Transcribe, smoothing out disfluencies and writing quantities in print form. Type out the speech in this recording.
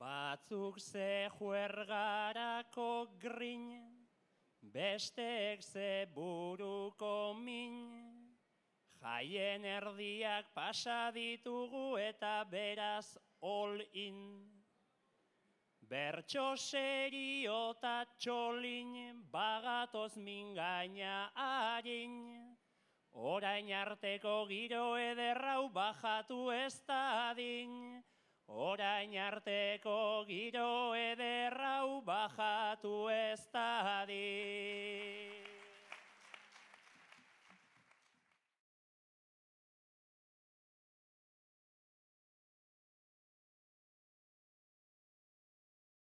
Batzuk ze juergarako grin, besteek ze buruko min, jaien erdiak pasa ditugu eta beraz all in. Bertso serio eta txolin, bagatoz mingaina harin, orain arteko giro ederrau bajatu ez dadin. Orain arteko giro ederrau bajatu ez dadin.